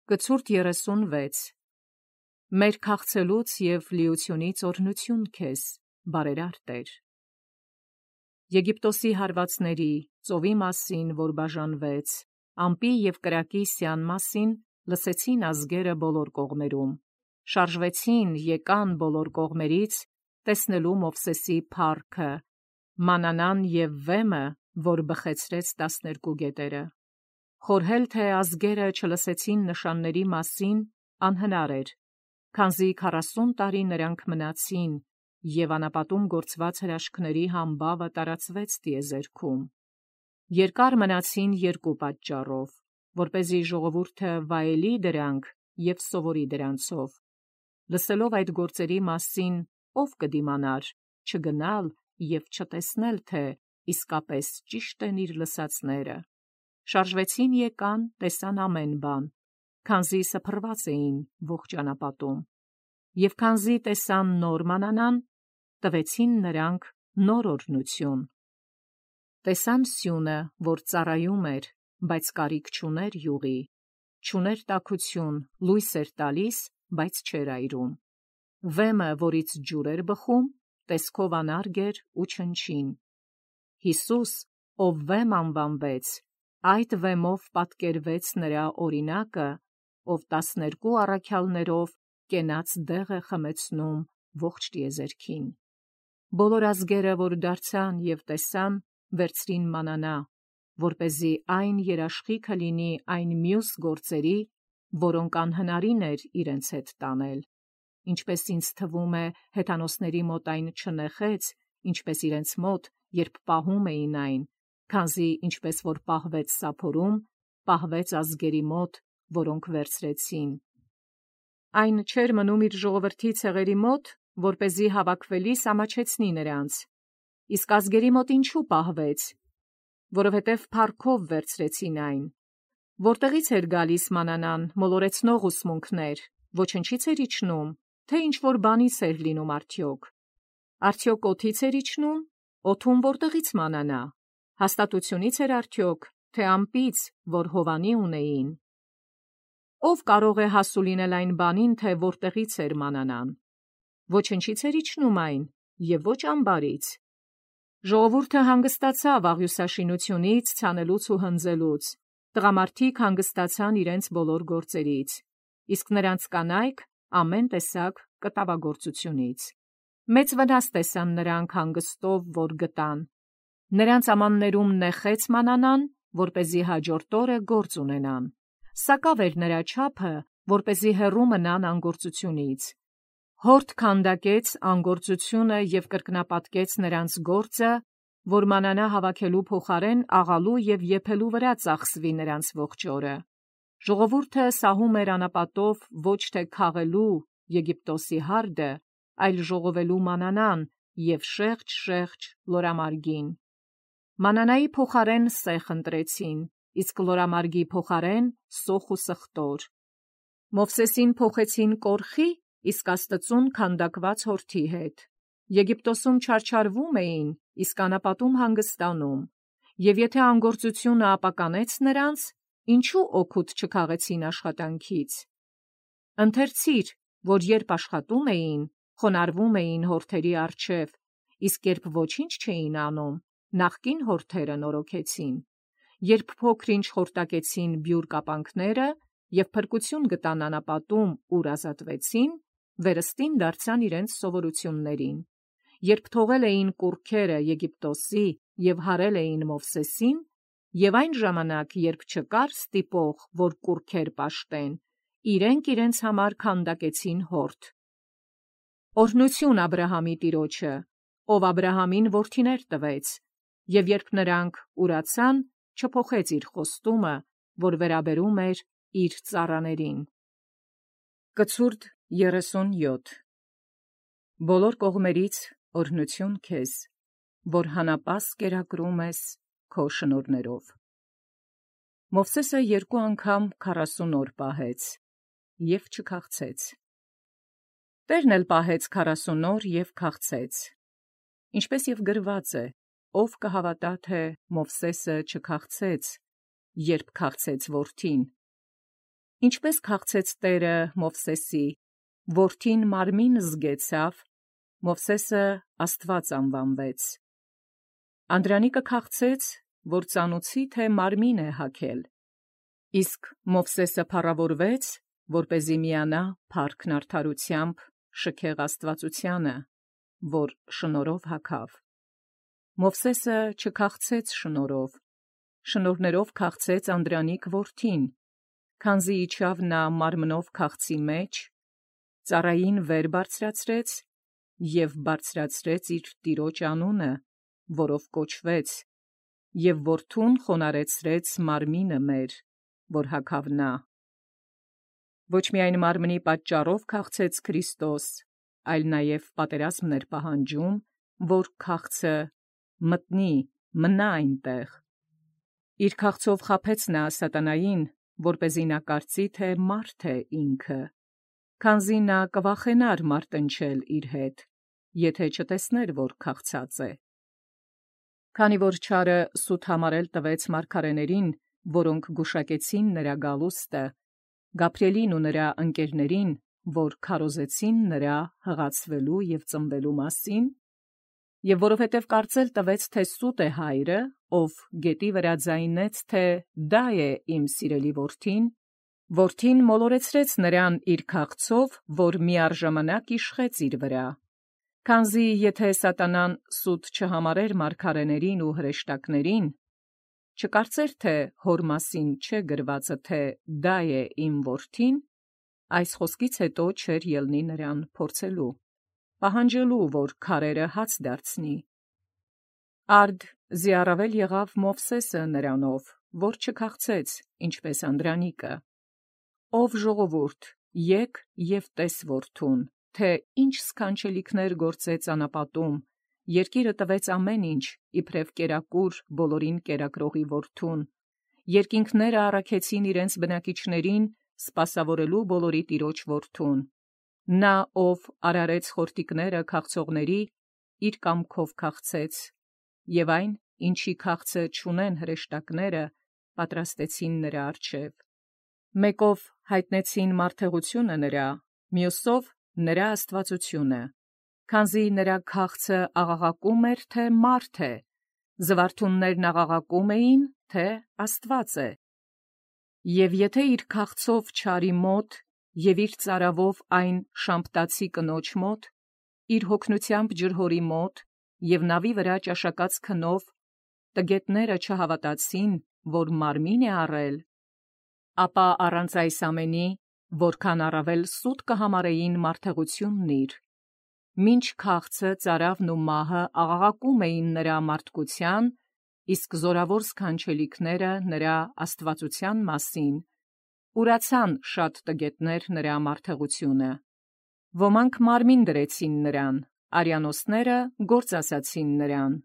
Կցուրդ 36 Մեր քաղցելուց և լիությունից օրհնություն քեզ, բարերար Տեր։ Եգիպտոսի հարվածների, ծովի մասին, որ բաժանվեց, ամպի և կրակի սյան մասին, լսեցին ազգերը բոլոր կողմերում, շարժվեցին, եկան բոլոր կողմերից, տեսնելու Մովսեսի փառքը, մանանան և վեմը, որ բխեցրեց 12 գետերը։ Խորհել թե ազգերը չլսեցին նշանների մասին, անհնար էր, քանզի 40 տարի նրանք մնացին, և անապատում գործված հրաշքների համբավը տարածվեց տիեզերքում։ Երկար մնացին երկու պատճառով, որպեսզի ժողովուրդը վայելի դրանք և սովորի դրանցով։ Լսելով այդ գործերի մասին, ով կդիմանար, չգնալ և չտեսնել, թե իսկապես ճիշտ են իր լսածները։ Շարժվեցին եկան, տեսան ամեն բան, քանզի սփռված էին ողջ անապատում։ Եվ քանզի տեսան նոր մանանան, տվեցին նրանք նոր օրհնություն։ Տեսան սյունը, որ ծառայում էր, բայց կարիք չուներ յուղի, չուներ տաքություն, լույս էր տալիս, բայց չէր այրում։ Վեմը, որից ջուր էր բխում, տեսքով անարգ էր ու չնչին։ Հիսուս, ով վեմ անվանվեց, այդ վեմով պատկերվեց նրա օրինակը, ով 12 առաքյալներով կենաց դեղ է խմեցնում ողջ տիեզերքին։ Բոլոր ազգերը, որ դարձան և տեսան, վերցրին մանանա, որպեսզի այն երաշխիքը լինի այն մյուս գործերի, որոնք անհնարին էր իրենց հետ տանել։ Ինչպես ինձ թվում է, հեթանոսների մոտ այն չնեխեց, ինչպես իրենց մոտ, երբ պահում էին այն, քանզի ինչպես որ պահվեց սափորում, պահվեց ազգերի մոտ, որոնք վերցրեցին։ Այն չէր մնում իր ժողովրդի ցեղերի մոտ, որպեսզի հավաքվելիս ամաչեցնի նրանց։ Իսկ ազգերի մոտ ինչու պահվեց, որովհետև փառքով վերցրեցին այն։ Որտեղից էր գալիս մանանան, մոլորեցնող ուսմունքներ, ոչնչից էր իջնում, թե ինչ-որ բանից էր լինում արդյոք։ Արդյոք օդից էր իջնում, օդում որտեղից մանանա, հաստատությունից էր արդյոք, թե ամպից, որ Հովանի ունեին։ Ով կարող է հասու լինել այն բանին, թե որտեղից էր մանանան։ Ոչնչից էր իջնում այն, և ոչ ամբարից։ Ժողովուրդը հանգստացավ աղյուսաշինությունից, ցանելուց ու հնձելուց, տղամարդիկ հանգստացան իրենց բոլոր գործերից, իսկ նրանց կանայք ամեն տեսակ կտավագործությունից։ Մեծ վնաս տեսան նրանք հանգստով, որ գտան։ Նրանց ամաններում նեխեց մանանան, որպեսզի հաջորդ օրը գործ ունենան։ Սակավ էր նրա չափը, որպեսզի հեռու մնան անգործությունից։ Հորդ քանդակեց անգործությունը և կրկնապատկեց նրանց գործը, որ մանանա հավաքելու փոխարեն աղալու և եփելու վրա ծախսվի նրանց ողջ օրը։ Ժողովուրդը սահում էր անապատով ոչ թե քաղելու Եգիպտոսի հարդը, այլ ժողովելու մանանան և շեղջ լորամարգին։ Մանանայի փոխարեն սեխ ընտրեցին, իսկ լորամարգի փոխարեն սոխ ու սխտոր։ Մովսեսին փոխեցին կորխի, իսկ Աստծուն քանդակված հորթի հետ։ Եգիպտոսում չարչարվում էին, իսկ անապատում հանգստանում։ Եվ եթե անգործությունը ապականեց նրանց, ինչու օգուտ չքաղեցին աշխատանքից։ Ընթերցիր, որ երբ աշխատում էին, խոնարհվում էին հորթերի առջև, իսկ երբ ոչինչ չէին անում, նախկին հորթերը նորոգեցին։ Երբ փոքր-ինչ խորտակեցին բյուր կապանքները և փրկություն գտան անապատում, ուր ազատվեցին, վերստին դարձան իրենց սովորություններին։ Երբ թողել էին կուռքերը Եգիպտոսի և հարել էին Մովսեսին, և այն ժամանակ, երբ չկար ստիպող, որ կուռքեր պաշտեն, իրենք իրենց համար քանդակեցին հորթ։ Օրհնություն Աբրահամի տիրոջը, ով Աբրահամին որդիներ տվեց, և երբ նրանք ուրացան, չփոխեց իր խոստումը, որ վերաբերում էր իր ծառաներին։ Կցուրդ 37 Բոլոր կողմերից օրհնություն քեզ, որ հանապաս կերակրում ես քո շնորհներով։ Մովսեսը 2 անգամ 40 օր պահեց և չքաղցեց։ Տերն էլ պահեց 40 օր և քաղցեց։ Ինչպես և գրված է, ով կհավատա, թե Մովսեսը չքաղցեց, երբ քաղցեց որդին։ Ինչպես քաղցեց Տերը Մովսեսի, որդին մարմին զգեցավ, Մովսեսը Աստված անվանվեց։ Անդրանիկը քաղցեց, որ ծանուցի թե մարմին է հագել, իսկ Մովսեսը փառավորվեց, որպեսզի միանա փառքն արդարությամբ շքեղ աստվածությանը, որ շնորհով հագավ։ Մովսեսը չքաղցեց շնորհով, շնորհներով քաղցեց Անդրանիկ որդին, քանզի իջավ նա մարմնով քաղցի մեջ, ծառային վեր բարձրացրեց և բարձրացրեց իր տիրոջ անունը, որով կոչվեց, և որդուն խոնարհեցրեց մարմինը մեր, որ հագավ նա։ Ոչ միայն մարմնի պատճառով քաղցեց Քրիստոս, այլ նաև պատերազմն էր պահանջում, որ քաղցը մտնի, մնա այնտեղ։ Իր քաղցով խաբեց նա սատանային, որպեսզի նա կարծի, թե մարդ է ինքը, քանզի նա կվախենար մարտնչել իր հետ, եթե չտեսներ, որ քաղցած է։ Քանի որ չարը սուտ համարել տվեց մարգարեներին, որոնք գուշակեցին նրա գալուստը, Գաբրիելին ու նրա ընկերներին, որ քարոզեցին նրա հղացվելու և ծնվելու մասին, և որովհետև կարծել տվեց, թե սուտ է հայրը, ով գետի վրա ձայնեց, թե դա է իմ սիրելի որդին, որդին մոլորեցրեց նրան իր քաղցով, որ միառժամանակ իշխեց իր վրա, քանզի եթե սատանան սուտ չհամարեր մարգարեներին ու հրեշտակներին, չկարծեր, թե հոր մասին չէ գրվածը, թե դա է իմ որդին, այս խոսքից հետո չէր ելնի նրան փորձելու, պահանջելու, որ քարերը հաց դարձնի։ Արդ զիառավել եղավ Մովսեսը նրանով, որ չքաղցեց, ինչպես Անդրանիկը։ Ով ժողովուրդ, եկ և տես որդուն, թե ինչ սքանչելիքներ գործեց անապատում, երկիրը տվեց ամեն ինչ, իբրև կերակուր բոլորին կերակրողի որդուն, երկինքները առաքեցին իրենց բնակիչներին, սպասավորելու բոլորի տիրոջ որդուն։ Նա, ով արարեց խորտիկները քաղցողների, իր կամքով քաղցեց, և այն, ինչի քաղցը չունեն հրեշտակները, պատրաստեցին նրա առջև։ Մեկով հայտնեցին մարդեղությունը նրա, մյուսով նրա աստվածությունը, քանզի նրա քաղցը աղաղակում էր, թե մարդ է, զվարթուններն աղաղակում էին, թե Աստված է։ Եվ եթե իր քաղցով չարի մոտ, և իր ծարավով այն շամպտացի կնոջ մոտ, իր հոգնությամբ ջրհորի մոտ, և նավի վրա ճաշակած քնով, տգետները չհավատացին, որ մարմին է առել, ապա առանց այս ամենի, որքան առավել սուտ կհամարեին մարդեղությունն իր, մինչ քաղցը, ծարավն ու մահը աղաղակում էին նրա մարդկության, իսկ զորավոր սքանչելիքները նրա աստվածության մասին, ուրացան շատ տգետներ նրա մարդեղությունը։ Ոմանք մարմին դրեցին նրան, արյանոսները գործ ասացին նրան.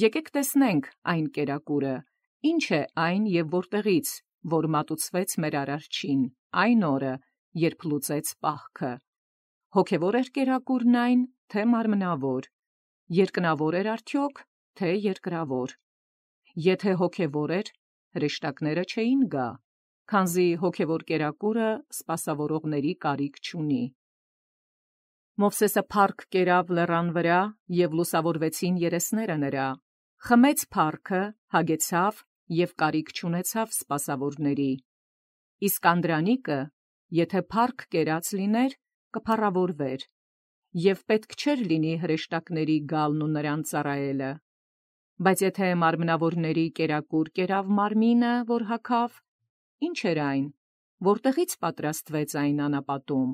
«Եկեք տեսնենք այն կերակուրը, ինչ է այն և որտեղից, որ մատուցվեց մեր արարչին, այն օրը, երբ լուծեց պահքը. հոգևոր էր կերակուրն այն, թե մարմնավոր, երկնավոր էր արդյոք, թե երկրավոր։ Եթե հոգևոր էր, հրեշտակները չէին գա, քանզի հոգևոր կերակուրը սպասավորողների կարիք չունի»։ Մովսեսը փառք կերավ լեռան վրա, և լուսավորվեցին երեսները նրա, խմեց փառքը, հագեցավ և կարիք չունեցավ սպասավորների։ Իսկ Անդրանիկը, եթե փառք կերած լիներ, կփառավորվեր, և պետք չէր լինի հրեշտակների գալն ու նրան ծառայելը։ Բայց եթե մարմնավորների կերակուր կերավ մարմինը, որ հագավ, ի՞նչ էր այն, որտեղից պատրաստվեց այն անապատում,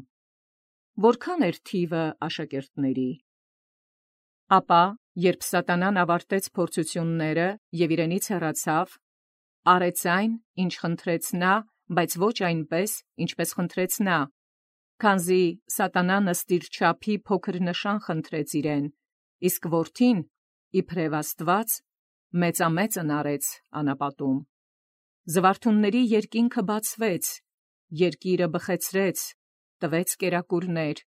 որքան էր թիվը աշակերտների։ Ապա, երբ սատանան ավարտեց փորձությունները և իրենից հեռացավ, արեց այն, ինչ խնդրեց նա, բայց ոչ այնպես, ինչպես խնդրեց նա, քանզի սատանան ըստ իր չափի փոքր նշան խնդրեց իրեն, իսկ որդին, իբրև Աստված, մեծամեծն արեց անապատում։ Զվարթունների երկինքը բացվեց, երկիրը բխեցրեց, տվեց կերակուրներ,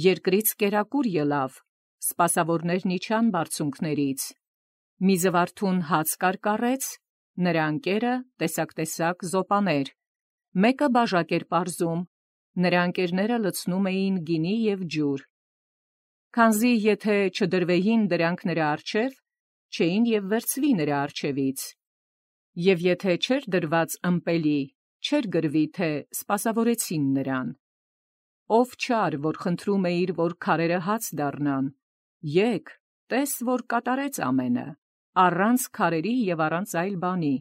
երկրից կերակուր ելավ, սպասավորներն իջան բարձունքներից, մի զվարթուն հաց կարկառեց, նրա ընկերը տեսակ զոպաներ, մեկը բաժակ էր պարզում, նրա ընկերները լցնում էին գինի և ջուր։ Քանզի եթե չդրվեին դրանք նրա առջև, չէին և վերցվի նրա առջևից։ Եվ եթե չէր դրված ըմպելի, չէր գրվի, թե սպասավորեցին նրան։ Ով չար, որ խնդրում էիր, որ քարերը հաց դառնան, եկ, տես, որ կատարեց ամենը, առանց քարերի և առանց այլ բանի։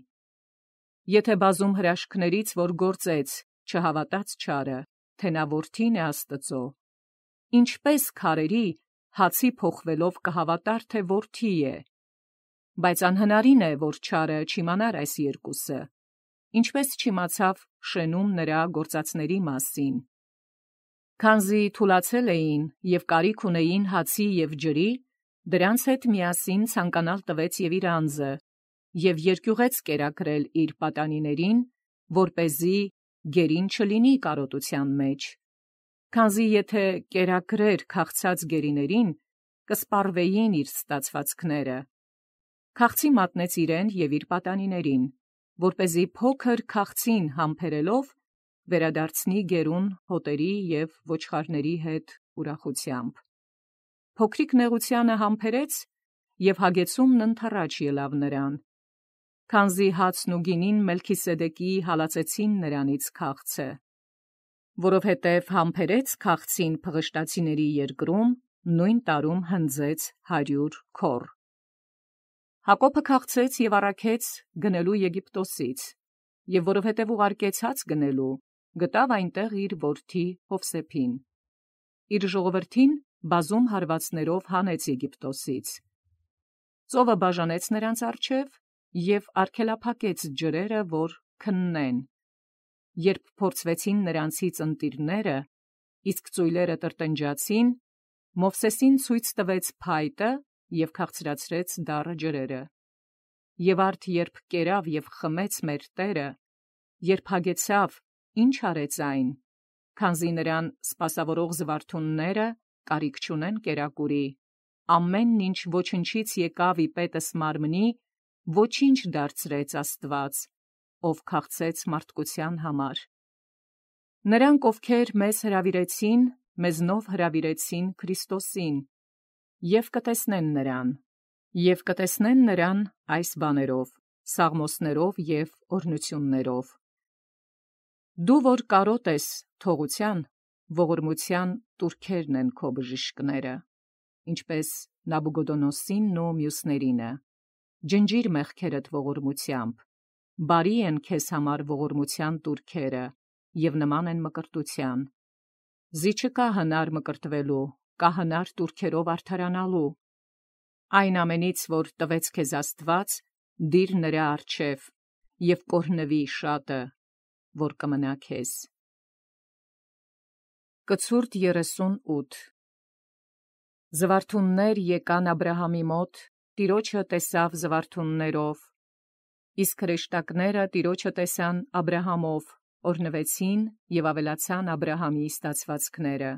Եթե բազում հրաշքներից, որ գործեց, չհավատաց չարը, թե նա որդին է Աստծո, ինչպես քարերի հացի փոխվելով կհավատար, թե որդի է։ Բայց անհնարին է, որ չարը չիմանար այս երկուսը, ինչպես չիմացավ շենում նրա գործածների մասին։ Քանզի թուլացել էին և կարիք ունեին հացի և ջրի, դրանց հետ միասին ցանկանալ տվեց և իր անձը, և երկյուղեց կերակրել իր պատանիներին, որպեսզի գերին չլինի կարոտության մեջ։ Քանզի եթե կերակրեր քաղցած գերիներին, կսպառվեին իր ստացվածքները։ Քաղցի մատնեց իրեն և իր պատանիներին, որպեսզի փոքր քաղցին համբերելով վերադարձնի գերուն հոտերի և ոչխարների հետ ուրախությամբ։ Փոքրիկ նեղությանը համբերեց, և հագեցումն ընդառաջ ելավ նրան։ Քանզի հացն ու գինին Մելքիսեդեկի հալածեցին նրանից քաղցը, որովհետև համբերեց քաղցին փղշտացիների երկրում, նույն տարում հնձեց 100 քոռ։ Հակոբը քաղցեց և առաքեց գնելու Եգիպտոսից, և որովհետև ուղարկեց հաց գնելու, գտավ այնտեղ իր որդի Յովսեփին։ Իր ժողովրդին բազում հարվածներով հանեց Եգիպտոսից։ Ծովը բաժանեց նրանց առջև և արգելափակեց ջրերը, որ քննեն։ Երբ փորձվեցին նրանցից ընտիրները, իսկ ծույլերը տրտնջացին, Մովսեսին ցույց տվեց փայտը և քաղցրացրեց դառը ջրերը։ Եվ արդ երբ կերավ և խմեց մեր Տերը, երբ հագեցավ, ի՞նչ արեց այն, քանզի նրան սպասավորող զվարթունները կարիք չունեն կերակուրի, ամեն ինչ ոչնչից եկավ ի պետս մարմնի, ոչինչ դարձրեց Աստված, ով քաղցեց մարդկության համար։ Նրանք, ովքեր մեզ հրավիրեցին, մեզնով հրավիրեցին Քրիստոսին, և կտեսնեն նրան այս բաներով, սաղմոսներով և օրհնություններով։ Դու որ կարոտ ես թողության, ողորմության տուրքերն են քո բժիշկները, ինչպես Նաբուգոդոնոսին ու մյուսներինը։ Ջնջիր մեղքերդ ողորմությամբ, բարի են քեզ համար ողորմության տուրքերը և նման են մկրտության։ Զի չկա հնար մկրտվելու, կա հնար տուրքերով արդարանալու։ Այն ամենից, որ տվեց քեզ Աստված, դիր նրա առջև և կօրհնվի շատը, որ կմնա քեզ։ Կցուրդ 38 Զվարթուններ եկան Աբրահամի մոտ, Տիրոջը տեսավ զվարթուններով, իսկ հրեշտակները Տիրոջը տեսան Աբրահամով, օրհնվեցին և ավելացան Աբրահամի ստացվածքները։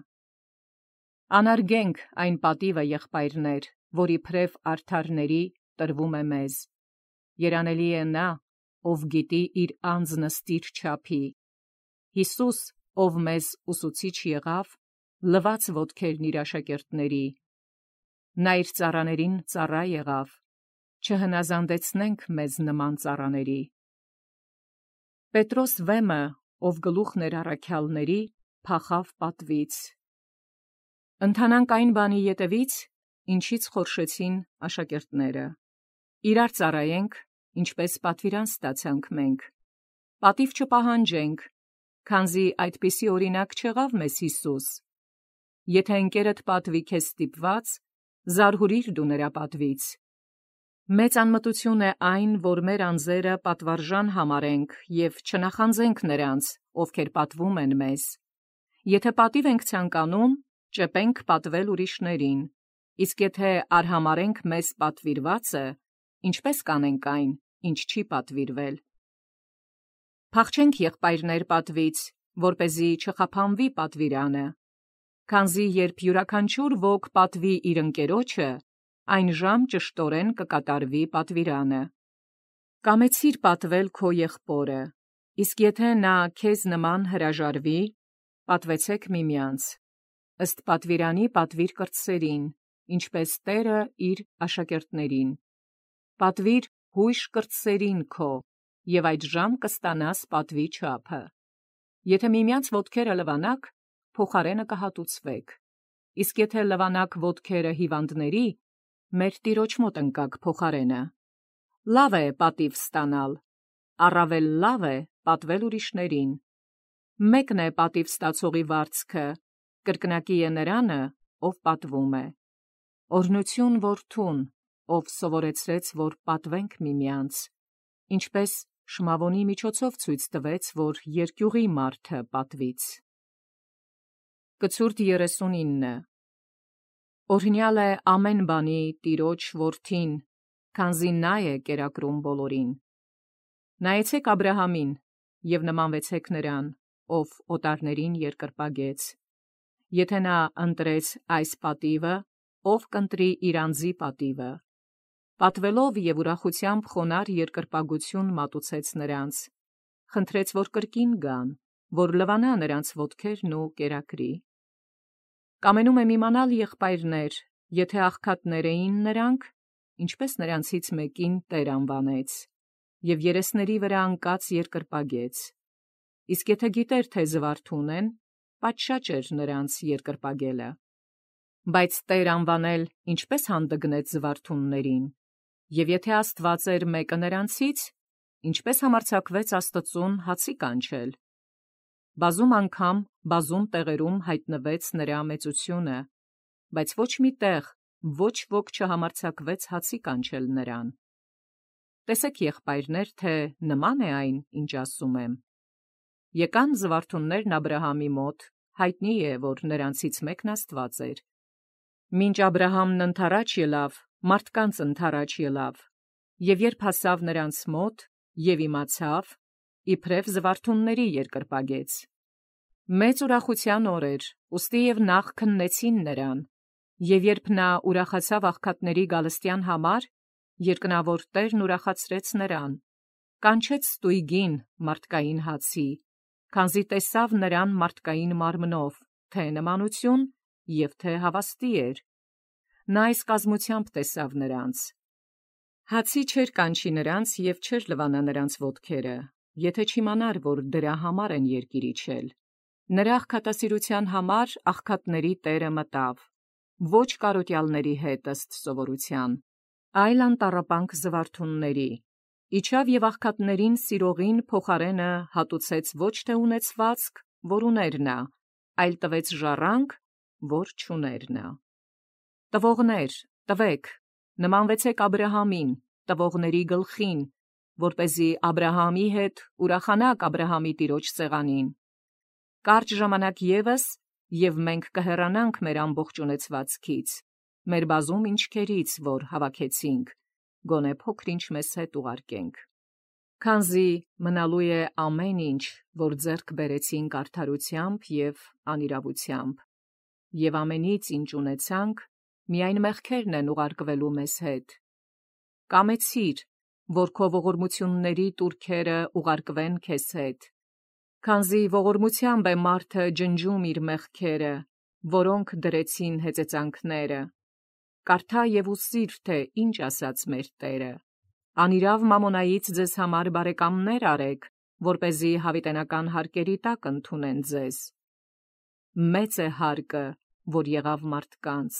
Անարգենք այն պատիվը, եղբայրներ, որ իբրև արդարների տրվում է մեզ։ Երանելի է նա, ով գիտի իր անձն ըստ իր չափի։ Հիսուս, ով մեզ ուսուցիչ եղավ, լվաց ոտքերն իր աշակերտների։ Նա իր ծառաներին ծառա եղավ, չհնազանդեցնենք մեզ նման ծառաների։ Պետրոս վեմը, ով գլուխն էր առաքյալների, փախավ պատվից։ Ընթանանք այն բանի ետևից, ինչից խորշեցին աշակերտները։ Իրար ծառայենք, ինչպես պատվիրան ստացանք մենք։ Պատիվ չպահանջենք, քանզի այդպիսի օրինակ չեղավ մեզ Հիսուս։ Եթե ընկերդ պատվի քեզ ստիպված, զարհուրիր դու նրա պատվից։ Մեծ անմտություն է այն, որ մեր անձերը պատվարժան համարենք և չնախանձենք նրանց, ովքեր պատվում են մեզ։ Եթե պատիվ ենք ցանկանում, ճեպենք պատվել ուրիշներին, իսկ եթե արհամարենք մեզ պատվիրվածը, ինչպես կանենք այն, ինչ չի պատվիրվել։ Փախչենք եղբայրներ պատվից, որպեսզի չխափանվի պատվիրանը, քանզի երբ յուրաքանչյուր ոք պատվի իր ընկերոջը, այն ժամ ճշտորեն կկատարվի պատվիրանը։ Կամեցիր պատվել քո եղբորը, Իսկ եթե նա քեզ նման հրաժարվի, պատվեցեք միմյանց, ըստ պատվիրանի պատվիր կրտսերին, ինչպես Տերը իր աշակերտներին. պատվիր հույժ կրտսերին քո, և այդժամ կստանաս պատվի չափը։ Եթե միմյանց ոտքերը լվանաք, փոխարենը կհատուցվեք, իսկ եթե լվանաք ոտքերը հիվանդների, մեր Տիրոջ մոտ ընկաք փոխարենը։ Լավ է պատիվ ստանալ, առավել լավ է պատվել ուրիշներին։ Մեկն է պատիվ ստացողի վարձքը, կրկնակի է նրանը, ով պատվում է։ Օրհնություն որդուն, ով սովորեցրեց, որ պատվենք միմյանց, ինչպես Շմավոնի միջոցով ցույց տվեց, որ երկյուղի մարդը պատվից։ Կցուրդ 39 Օրհնյալ է ամեն բանի Տիրոջ որդին, քանզի նա է կերակրում բոլորին։ Նայեցեք Աբրահամին և նմանվեցեք նրան, ով օտարներին երկրպագեց։ Եթե նա ընտրեց այս պատիվը, ով կընտրի իր անձի պատիվը։ Պատվելով և ուրախությամբ խոնարհ երկրպագություն մատուցեց նրանց, խնդրեց, որ կրկին գան, որ լվանա նրանց ոտքերն ու կերակրի։ Կամենում եմ իմանալ, եղբայրներ, եթե աղքատներ էին նրանք, ինչպես նրանցից մեկին Տեր անվանեց, և երեսների վրա անկած երկրպագեց։ Իսկ եթե գիտեր, թե զվարթուն են, պատշաճ էր նրանց երկրպագելը։ Բայց Տեր անվանել ինչպես հանդգնեց զվարթուններին, և եթե Աստված էր մեկը նրանցից, ինչպես համարձակվեց Աստծուն հացի կանչել։ Բազում անգամ, բազում տեղերում հայտնվեց նրա մեծությունը, բայց ոչ մի տեղ ոչ ոք չհամարձակվեց հացի կանչել նրան։ Տեսեք, եղբայրներ, թե նման է այն, ինչ ասում եմ։ Եկան զվարթուններն Աբրահամի մոտ, հայտնի է, որ նրանցից մեկն Աստված էր։ Մինչ Աբրահամն ընդառաջ ելավ, մարդկանց ընդառաջ ելավ, և երբ հասավ նրանց մոտ և իմացավ, իբրև զվարթունների երկրպագեց։ Մեծ ուրախության օր էր, ուստի և նախ քննեցին նրան, և երբ նա ուրախացավ աղքատների գալստյան համար, երկնավոր Տերն ուրախացրեց նրան, կանչեց ստույգին մարդկային հացի, քանզի տեսավ նրան մարդկային մարմնով, թե նմանություն և թե հավաստի էր։ Նա այս կազմությամբ տեսավ նրանց։ Հացի չէր կանչի նրանց և չէր լվանա նրանց ոտքերը, եթե չիմանար, որ դրա համար են երկիր իջել։ Նրա աղքատասիրության համար աղքատների Տերը մտավ, ոչ կարոտյալների հետ ըստ սովորության, այլ անտառապանք զվարթունների։ Իջավ և աղքատներին սիրողին փոխարենը հատուցեց ոչ թե ունեցվածք, որ ուներ նա, այլ տվեց ժառանգ, որ չուներ նա։ Տվողներ, տվեք, նմանվեցեք Աբրահամին, տվողների գլխին, որպեսզի Աբրահամի հետ ուրախանաք Աբրահամի Տիրոջ սեղանին։ Կարճ ժամանակ ևս, և մենք կհեռանանք մեր ամբողջ ունեցվածքից, մեր բազում ինչքերից, որ հավաքեցինք, գոնե փոքր-ինչ մեզ հետ ուղարկենք։ Քանզի մնալու է ամեն ինչ, որ ձեռք բերեցինք արդարությամբ և անիրավությամբ, և ամենից, ինչ ունեցանք, միայն մեղքերն են ուղարկվելու մեզ հետ։ Կամեցիր, որ քո ողորմությունների տուրքերը ուղարկվեն քեզ հետ, քանզի ողորմությամբ է մարդը ջնջում իր մեղքերը, որոնք դրեցին հեծեծանքները։ Կարդա և ուսիր, թե ինչ ասաց մեր Տերը. «Անիրավ մամոնայից ձեզ համար բարեկամներ արեք, որպեսզի հավիտենական հարկերի տակ ընդունեն ձեզ։ Մեծ է հարկը, որ եղավ մարդկանց,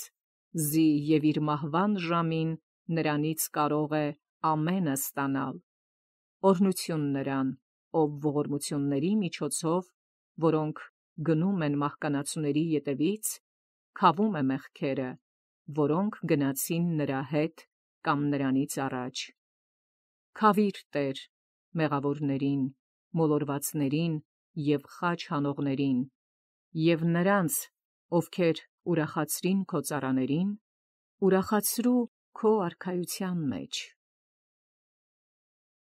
զի և իր մահվան ժամին նրանից կարող է ամենը ստանալ։ Օրհնություն նրան, ով ողորմությունների միջոցով, որոնք գնում են մահկանացուների ետևից, քավում է մեղքերը, որոնք գնացին նրա հետ կամ նրանից առաջ։ Քավիր Տեր մեղավորներին, մոլորվածներին և խաչ հանողներին, և նրանց, ովքեր ուրախացրին քո ծառաներին, ուրախացրու քո արքայության մեջ»։